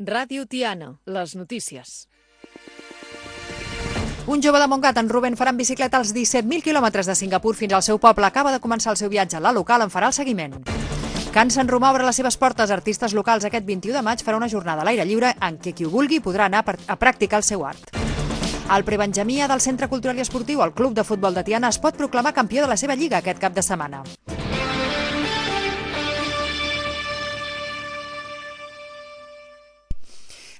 Ràdio Tiana, les notícies. Un jove de Montgat, en Rubén, farà en bicicleta els 17.000 quilòmetres de Singapur fins al seu poble. Acaba de començar el seu viatge. La local en farà el seguiment. Can Sant Romà obre les seves portes a artistes locals. Aquest 21 de maig farà una jornada a l'aire lliure en què qui ho vulgui podrà anar a practicar el seu art. El prebenjamí del Centre Cultural i Esportiu, el Club de Futbol de Tiana, es pot proclamar campió de la seva lliga aquest cap de setmana.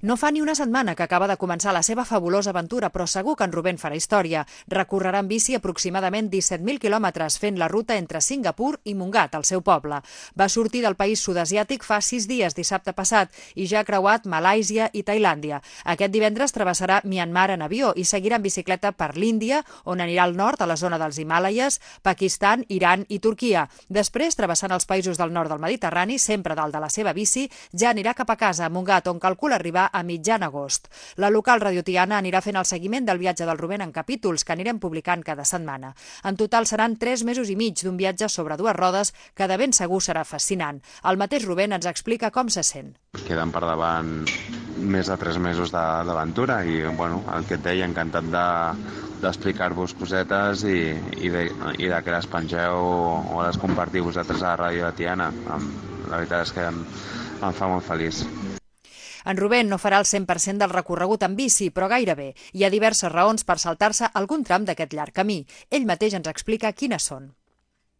No fa ni una setmana que acaba de començar la seva fabulosa aventura, però segur que en Rubén farà història. Recorrerà en bici aproximadament 17.000 quilòmetres, fent la ruta entre Singapur i Montgat, el seu poble. Va sortir del país sud-asiàtic fa 6 dies, dissabte passat, i ja ha creuat Malàisia i Tailàndia. Aquest divendres travessarà Myanmar en avió i seguirà en bicicleta per l'Índia, on anirà al nord, a la zona dels Himàlaies, Pakistan, Iran i Turquia. Després, travessant els països del nord del Mediterrani, sempre dalt de la seva bici, ja anirà cap a casa, a Montgat, on calcula arribar a mitjan agost. La local Radio Tiana anirà fent el seguiment del viatge del Rubén en capítols que anirem publicant cada setmana. En total seran 3 mesos i mig d'un viatge sobre 2 rodes que de ben segur serà fascinant. El mateix Rubén ens explica com se sent. Queden per davant més de 3 mesos d'aventura i bueno, el que et deia, encantat d'explicar-vos cosetes i de que les pengeu o les compartiu vosaltres a la Ràdio de Tiana. La veritat és que em fa molt feliç. En Rubén no farà el 100% del recorregut en bici, però gairebé. Hi ha diverses raons per saltar-se algun tram d'aquest llarg camí. Ell mateix ens explica quines són.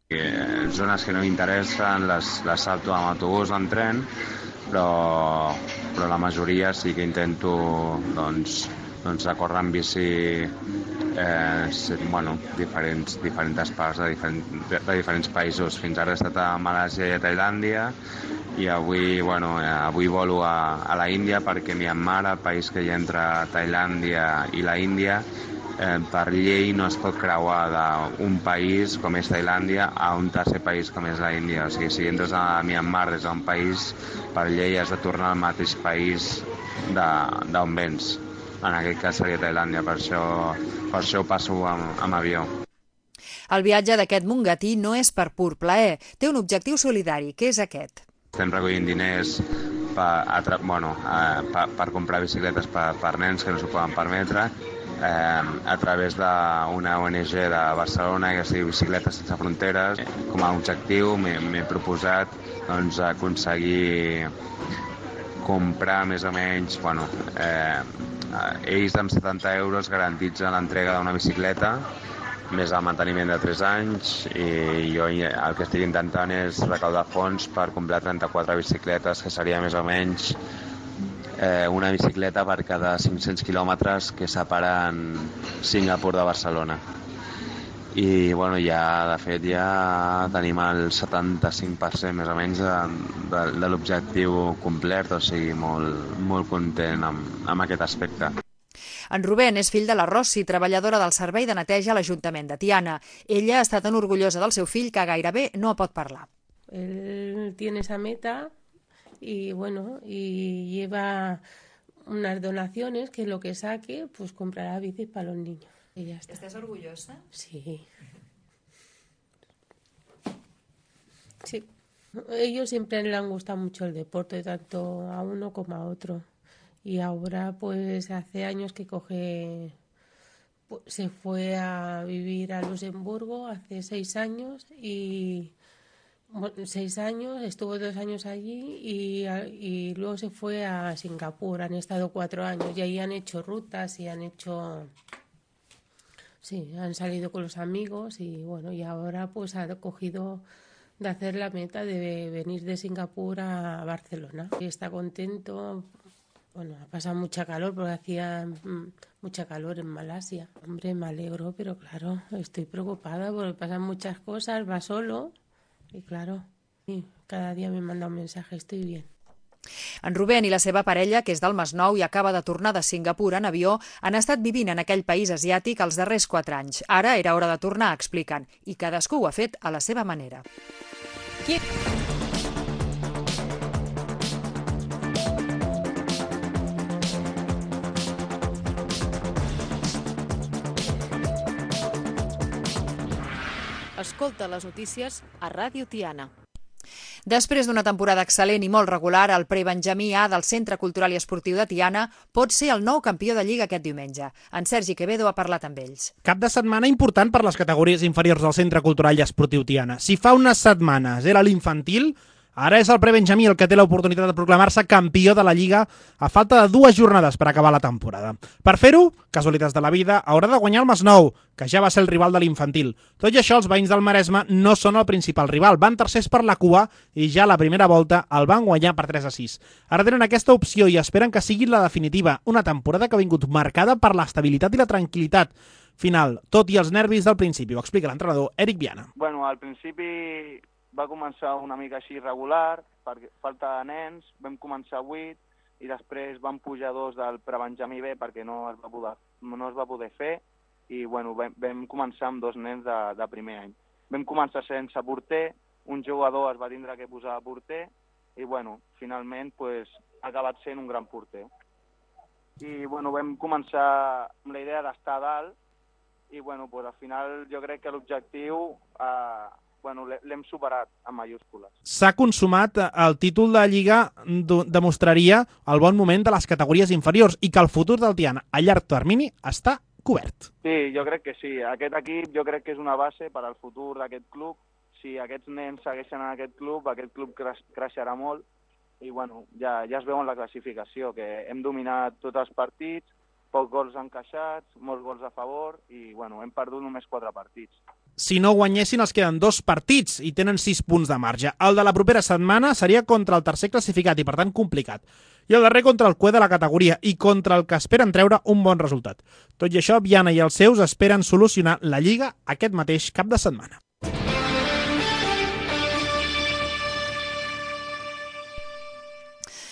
Zones que no m'interessen les salto amb autobús o amb tren, però la majoria sí que intento recórrer en bici diferents parts de diferents països. Fins ara he estat a Malàisia i a Tailàndia i avui volo a la Índia perquè Myanmar, el país que hi ha entre Tailàndia i la Índia, per llei no es pot creuar d'un país com és Tailàndia a un tercer país com és la Índia. O sigui, si entres a Myanmar des d'un país, per llei has de tornar al mateix país d'on vens. En aquest cas seria Tailàndia, per això ho passo amb avió. El viatge d'aquest mongatí no és per pur plaer, té un objectiu solidari, que és aquest. Estem recollint diners per comprar bicicletes per nens que no s'ho poden permetre a través d'una ONG de Barcelona que es diu Bicicletes Sense Fronteres. Com a objectiu m'he proposat aconseguir comprar més o menys ells amb 70 euros garantitzen l'entrega d'una bicicleta més el manteniment de 3 anys i jo el que estic intentant és recaudar fons per comprar 34 bicicletes, que seria més o menys una bicicleta per cada 500 quilòmetres que separen Singapur de Barcelona. I de fet ja tenim el 75% més o menys de l'objectiu complert, o sigui, molt content amb aquest aspecte. En Rubén és fill de la Rossi, treballadora del servei de neteja a l'Ajuntament de Tiana. Ella està tan orgullosa del seu fill que gairebé no pot parlar. Él tiene esa meta y lleva unas donaciones que lo que saque pues comprará bicis para los niños. Y ya está. ¿Estás orgullosa? Sí. Sí. Ellos siempre le han gustado mucho el deporte, tanto a uno como a otro. Y ahora pues hace años que se fue a vivir a Luxemburgo hace 6 años y 6 años, estuvo 2 años allí y luego se fue a Singapur. Han estado 4 años y ahí han hecho rutas y han salido con los amigos y ahora pues ha cogido de hacer la meta de venir de Singapur a Barcelona. Y está contento. Ha pasado mucha calor porque hacía mucha calor en Malasia. Hombre, me alegro, pero claro, estoy preocupada porque pasan muchas cosas, va solo y claro, cada día me manda un mensaje, estoy bien. En Rubén i la seva parella, que és del Masnou i acaba de tornar de Singapur en avió, han estat vivint en aquell país asiàtic els darrers 4 anys. Ara era hora de tornar, expliquen, i cadascú ho ha fet a la seva manera. Escolta les notícies a Ràdio Tiana. Després d'una temporada excel·lent i molt regular, el prebenjamí A del Centre Cultural i Esportiu de Tiana pot ser el nou campió de Lliga aquest diumenge. En Sergi Quevedo ha parlat amb ells. Cap de setmana important per les categories inferiors del Centre Cultural i Esportiu Tiana. Si fa unes setmanes era l'infantil, ara és el prebenjamí el que té l'oportunitat de proclamar-se campió de la Lliga a falta de 2 jornades per acabar la temporada. Per fer-ho, casualitats de la vida, haurà de guanyar el Masnou, que ja va ser el rival de l'infantil. Tot i això, els veïns del Maresme no són el principal rival. Van tercers per la cua i ja a la primera volta el van guanyar per 3-6. Ara tenen aquesta opció i esperen que sigui la definitiva. Una temporada que ha vingut marcada per l'estabilitat i la tranquil·litat final, tot i els nervis del principi. Ho explica l'entrenador Eric Viana. Bueno, al principi va començar una mica així irregular, per falta de nens, vam començar 8 i després vam pujar 2 del prebenjamí B perquè no es va poder fer i bueno, vam començar amb 2 nens de primer any. Vam començar sense porter, un jugador es va tindre que posar de porter i bueno, finalment pues, ha acabat sent un gran porter. I bueno, vam començar amb la idea d'estar a dalt i bueno, pues, al final jo crec que l'objectiu l'hem superat en mayúscules. S'ha consumat el títol de Lliga, demostraria el bon moment de les categories inferiors i que el futur del Tiana a llarg termini està cobert. Sí, jo crec que sí. Aquest equip jo crec que és una base per al futur d'aquest club. Si aquests nens segueixen en aquest club creixerà molt i bueno, ja es veu en la classificació que hem dominat tots els partits, pocs gols encaixats, molts gols a favor i bueno, hem perdut només 4 partits. Si no guanyessin els queden 2 partits i tenen 6 punts de marge. El de la propera setmana seria contra el tercer classificat i per tant complicat. I el darrer contra el cué de la categoria i contra el que esperen treure un bon resultat. Tot i això, Viana i els seus esperen solucionar la Lliga aquest mateix cap de setmana.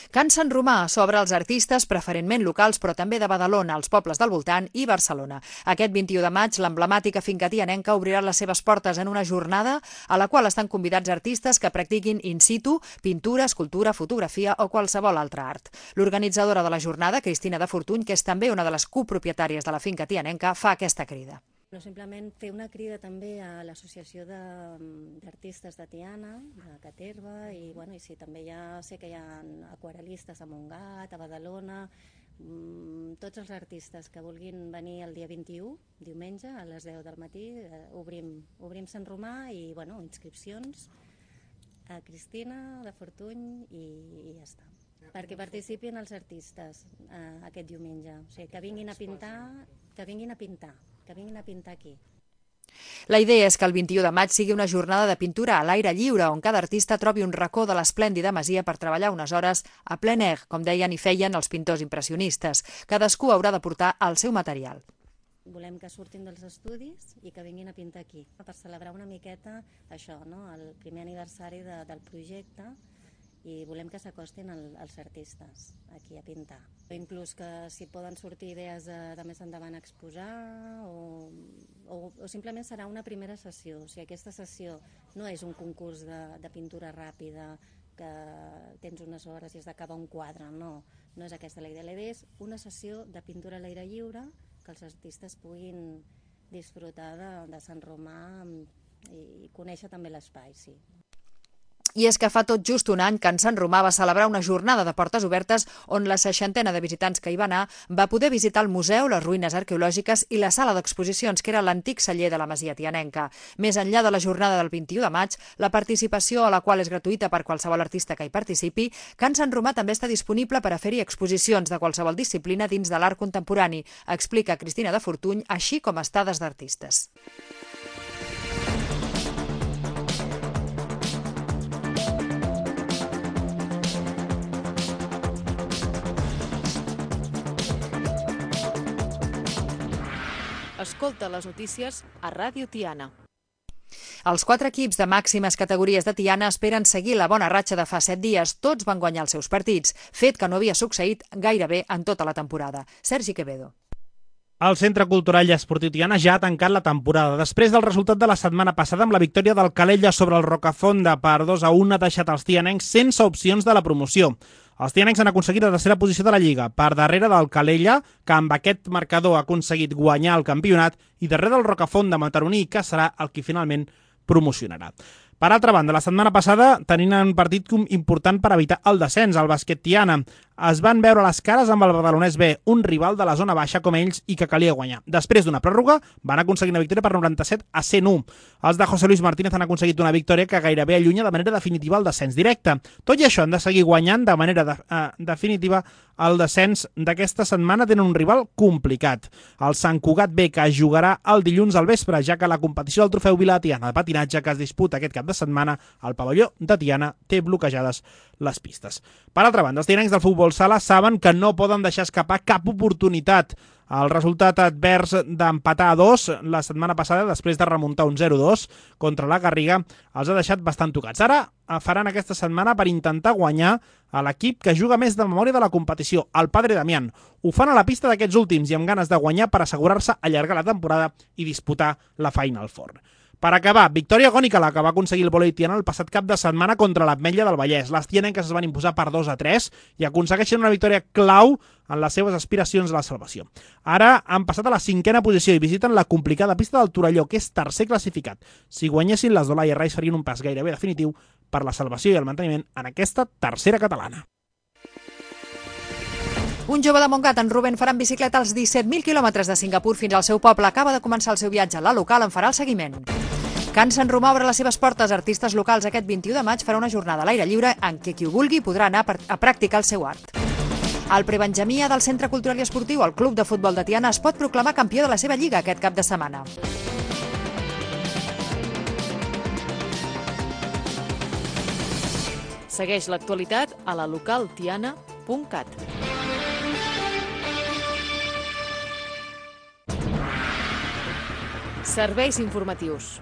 Can Sant Romà s'obre als artistes, preferentment locals, però també de Badalona, els pobles del voltant i Barcelona. Aquest 21 de maig, l'emblemàtica finca tianenca obrirà les seves portes en una jornada a la qual estan convidats artistes que practiquin in situ, pintura, escultura, fotografia o qualsevol altre art. L'organitzadora de la jornada, Cristina de Fortuny, que és també una de les copropietàries de la finca tianenca, fa aquesta crida. Simplement fer una crida també a l'Associació d'Artistes de Tiana, de Caterva, i sí, també sé que hi ha aquarel·listes a Montgat, a Badalona, tots els artistes que vulguin venir el dia 21, diumenge, a les 10 del matí, obrim Sant Romà i inscripcions a Cristina de Fortuny i ja està. Perquè participin els artistes aquest diumenge, o sigui, que vinguin a pintar aquí. La idea és que el 21 de maig sigui una jornada de pintura a l'aire lliure, on cada artista trobi un racó de l'esplèndida masia per treballar unes hores a plein air, com deien i feien els pintors impressionistes. Cadascú haurà de portar el seu material. Volem que surtin dels estudis i que vinguin a pintar aquí, per celebrar una miqueta això, el primer aniversari del projecte, i volem que s'acostin els artistes aquí a pintar. Inclús que si poden sortir idees de més endavant a exposar o simplement serà una primera sessió. O sigui, aquesta sessió no és un concurs de pintura ràpida que tens unes hores i has d'acabar un quadre, no és aquesta la idea. La idea és una sessió de pintura a l'aire lliure que els artistes puguin disfrutar de Sant Romà i conèixer també l'espai, sí. I és que fa tot just un any que en Sant Romà va celebrar una jornada de portes obertes on la 60ena de visitants que hi va anar va poder visitar el museu, les ruïnes arqueològiques i la sala d'exposicions, que era l'antic celler de la masia tianenca. Més enllà de la jornada del 21 de maig, la participació, a la qual és gratuïta per qualsevol artista que hi participi, Can Sant Romà també està disponible per a fer-hi exposicions de qualsevol disciplina dins de l'art contemporani, explica Cristina de Fortuny, així com estades d'artistes. Escolta les notícies a Ràdio Tiana. Els 4 equips de màximes categories de Tiana esperen seguir la bona ratxa de fa 7 dies. Tots van guanyar els seus partits, fet que no havia succeït gairebé en tota la temporada. Sergi Quevedo. El Centre Cultural i Esportiu Tiana ja ha tancat la temporada. Després del resultat de la setmana passada amb la victòria del Calella sobre el Rocafonda per 2-1 ha deixat els tianencs sense opcions de la promoció. Els tianencs han aconseguit la tercera posició de la Lliga, per darrere del Calella, que amb aquest marcador ha aconseguit guanyar el campionat, i darrere del Rocafonda mataroní, que serà el qui finalment promocionarà. Per altra banda, la setmana passada tenien un partit important per evitar el descens, el Bàsquet Tiana. Es van veure les cares amb el Badalonès B, un rival de la zona baixa com ells i que calia guanyar. Després d'una pròrroga, van aconseguir una victòria per 97-101. Els de José Luis Martínez han aconseguit una victòria que gairebé allunya de manera definitiva el descens directe. Tot i això, han de seguir guanyant de manera definitiva el descens d'aquesta setmana. Tenen un rival complicat, el Sant Cugat B, que jugarà el dilluns al vespre, ja que la competició del Trofeu Vila de Tiana de patinatge que es disputa aquest cap de setmana al pavelló de Tiana té bloquejades les pistes. Per altra banda, els tianencs del futbol sala saben que no poden deixar escapar cap oportunitat. El resultat advers d'empatar a 2 la setmana passada, després de remuntar un 0-2 contra la Garriga, els ha deixat bastant tocats. Ara faran aquesta setmana per intentar guanyar a l'equip que juga més de memòria de la competició, el Padre Damián. Ho fan a la pista d'aquests últims i amb ganes de guanyar per assegurar-se allargar la temporada i disputar la Final Four. Per acabar, victòria agònica la que va aconseguir el Volei Tiana el passat cap de setmana contra l'Ametlla del Vallès. Les tianenques es van imposar per 2-3 i aconsegueixen una victòria clau en les seves aspiracions a la salvació. Ara han passat a la 5a posició i visiten la complicada pista del Torelló, que és tercer classificat. Si guanyessin, les d'Olaia Rais farien un pas gairebé definitiu per la salvació i el manteniment en aquesta tercera catalana. Un jove de Montgat, en Rubén, farà en bicicleta els 17.000 quilòmetres de Singapur fins al seu poble. Acaba de començar el seu viatge. La local en farà el seguiment. Can Sant Romà obre les seves portes a artistes locals. Aquest 21 de maig farà una jornada a l'aire lliure en què qui ho vulgui podrà anar a practicar el seu art. El prebenjamí del Centre Cultural i Esportiu, el Club de Futbol de Tiana, es pot proclamar campió de la seva lliga aquest cap de setmana. Segueix l'actualitat a la localtiana.cat. Serveis informatius.